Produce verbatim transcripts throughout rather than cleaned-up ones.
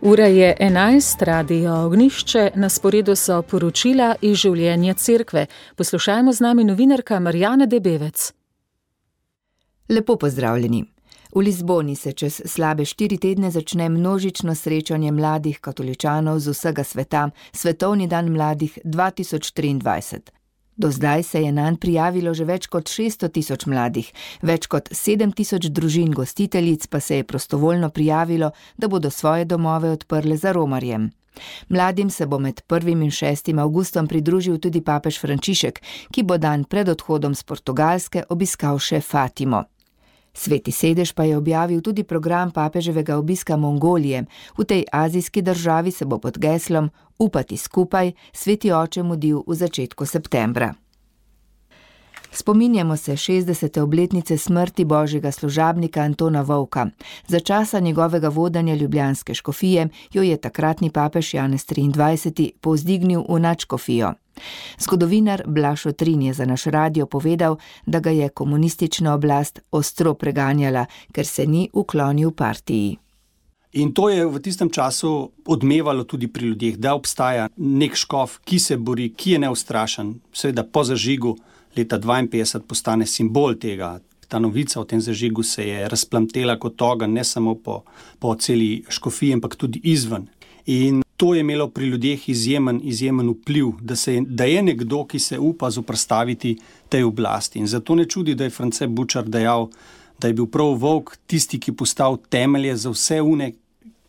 Ura je enajst, Radio Ognjišče, na sporedu so poročila iz življenja cerkve. Poslušajmo z nami novinarka Marjana Debevec. Lepo pozdravljeni. V Lizboni se čez slabe štiri tedne začne množično srečanje mladih katoličanov z vsega sveta, Svetovni dan mladih dva tisoč triindvajset. Do zdaj se je nanj prijavilo že več kot šeststo tisoč mladih, več kot sedem tisoč družin gostiteljic pa se je prostovoljno prijavilo, da bodo svoje domove odprle za romarjem. Mladim se bo med prvim in šestim avgustom pridružil tudi papež Frančišek, ki bo dan pred odhodom z Portugalske obiskal še Fatimo. Sveti sedež pa je objavil tudi program papeževega obiska Mongolije. V tej azijski državi se bo pod geslom Upati skupaj sveti oče mudil v začetku septembra. Spominjamo se šestdesete obletnice smrti božjega služabnika Antona Vovka. Za časa njegovega vodenja ljubljanske škofije jo je takratni papež Janez triindvajseti povzdignil v nadškofijo. Zgodovinar Blaž Otrin je za naš radio povedal, da ga je komunistična oblast ostro preganjala, ker se ni uklonil partiji. In to je v tistem času odmevalo tudi pri ljudeh, da obstaja nek škof, ki se bori, ki je neustrašen. Seveda po zažigu leta dvainpetdeset postane simbol tega. Ta novica o tem zažigu se je razplamtela kot ogenj, ne samo po, po celi škofiji, ampak tudi izven. In to je imelo pri ljudeh izjemen, izjemen vpliv, da, se, da je nekdo, ki se upa zoprstaviti tej oblasti. In zato ne čudi, da je France Bučar dejal, da je bil prav Vovk tisti, ki postal temelje za vse une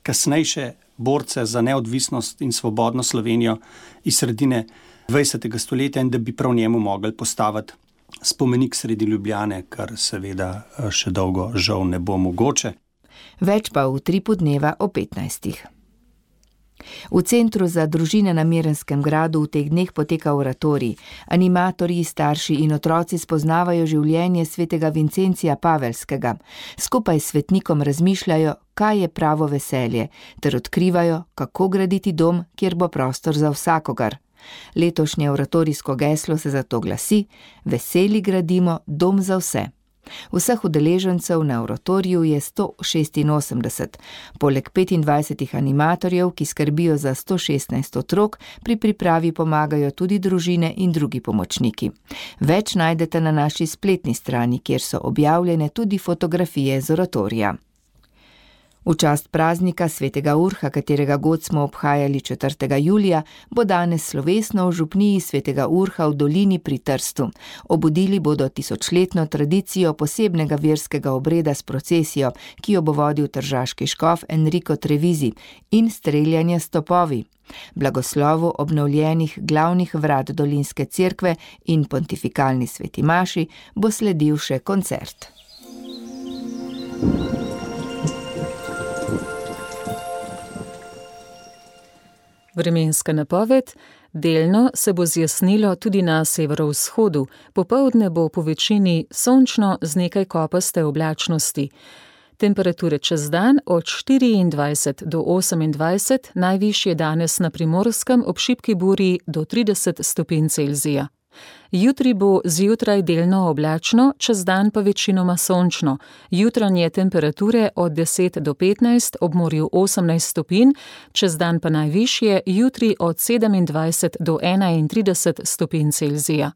kasnejše borce za neodvisnost in svobodno Slovenijo iz sredine dvajsetega stoletja in da bi prav njemu mogli postaviti spomenik sredi Ljubljane, kar seveda še dolgo žal ne bo mogoče. Več pa v Utripu dneva o petnajstih. V Centru za družine na Mirnskem gradu v teh dneh poteka oratorij. Animatorji, starši in otroci spoznavajo življenje svetega Vincencija Pavelskega. Skupaj s svetnikom razmišljajo, kaj je pravo veselje, ter odkrivajo, kako graditi dom, kjer bo prostor za vsakogar. Letošnje oratorijsko geslo se zato glasi: Veseli gradimo dom za vse. Vseh udeležencev na oratoriju je sto šestinosemdeset. Poleg petindvajsetih animatorjev, ki skrbijo za sto šestnajst otrok, pri pripravi pomagajo tudi družine in drugi pomočniki. Več najdete na naši spletni strani, kjer so objavljene tudi fotografije z oratorija. V čast praznika svetega Urha, katerega god smo obhajali četrtega julija, bo danes slovesno v župniji svetega Urha v dolini pri Trstu. Obudili bodo tisočletno tradicijo posebnega verskega obreda s procesijo, ki jo bo vodil tržaški škof Enrico Trevizi, in streljanje s topovi. Blagoslovu obnovljenih glavnih vrat dolinske cerkve in pontifikalni sveti maši bo sledil še koncert. Vremenska napoved. Delno se bo zjasnilo tudi na severovzhodu. Popoldne bo po večini sončno z nekaj kopaste oblačnosti. Temperature čez dan od štiriindvajset do osemindvajset, najvišje danes na Primorskem ob šibki burji do trideset stopinj Celzija. Jutri bo zjutraj delno oblačno, čez dan pa večinoma sončno. Jutranje temperature od deset do petnajst, ob morju osemnajst stopinj, čez dan pa najvišje, jutri od sedemindvajset do enaintrideset stopinj Celzija.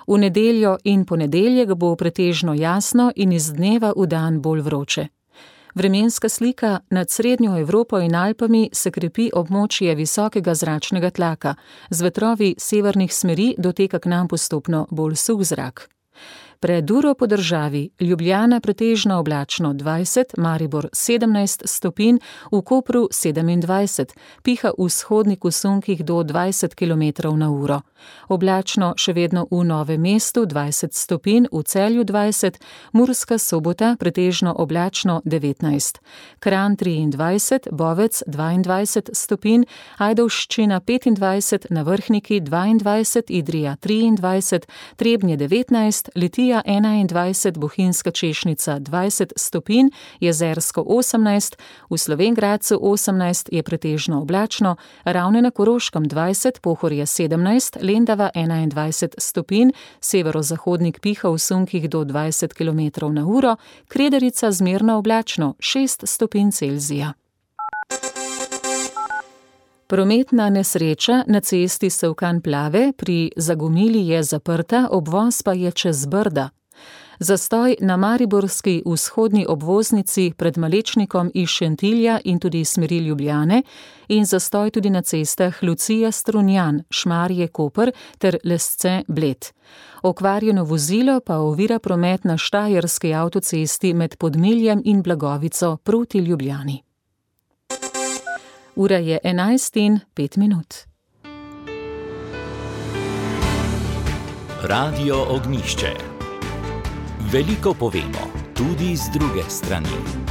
V nedeljo in ponedeljek bo pretežno jasno in iz dneva v dan bolj vroče. Vremenska slika. Nad srednjo Evropo in Alpami se krepi območje visokega zračnega tlaka. Z vetrovi severnih smeri doteka k nam postopno bolj suh zrak. Pred uro po državi: Ljubljana pretežno oblačno dvajset, Maribor sedemnajst stopinj, v Kopru sedemindvajset, piha v vzhodnih sunkih do dvajset kilometrov na uro. Oblačno še vedno v Novem mestu dvajset stopinj, v Celju dvajset, Murska Sobota pretežno oblačno devetnajst, Kranj triindvajset, Bovec dvaindvajset stopinj, Ajdovščina petindvajset, na Vrhniki dvaindvajset, Idrija triindvajset, Trebnje devetnajst, Litija enaindvajset, Bohinjska Češnica dvajset stopinj, Jezersko osemnajst, v Slovenj Gradcu osemnajst, je pretežno oblačno, Ravne na Koroškem dvajset, Pohorje sedemnajst, Lendava enaindvajset stopinj, severozahodnik piha v sunkih do dvajset kilometrov na uro, Kredarica zmerno oblačno šest stopinj Celzija. Prometna nesreča, na cesti Sevkan-Plave, pri Zagomili je zaprta, obvoz pa je čez Brda. Zastoj na mariborski vzhodni obvoznici pred Malečnikom iz Šentilja in tudi smeri Ljubljane in zastoj tudi na cestah Lucija-Strunjan, Šmarje-Koper ter Lesce-Bled. Okvarjeno vozilo pa ovira promet na štajerski avtocesti med Podmiljem in Blagovico proti Ljubljani. Ura je enajst in pet minut. Radio Ognjišče. Veliko povemo, tudi z druge strani.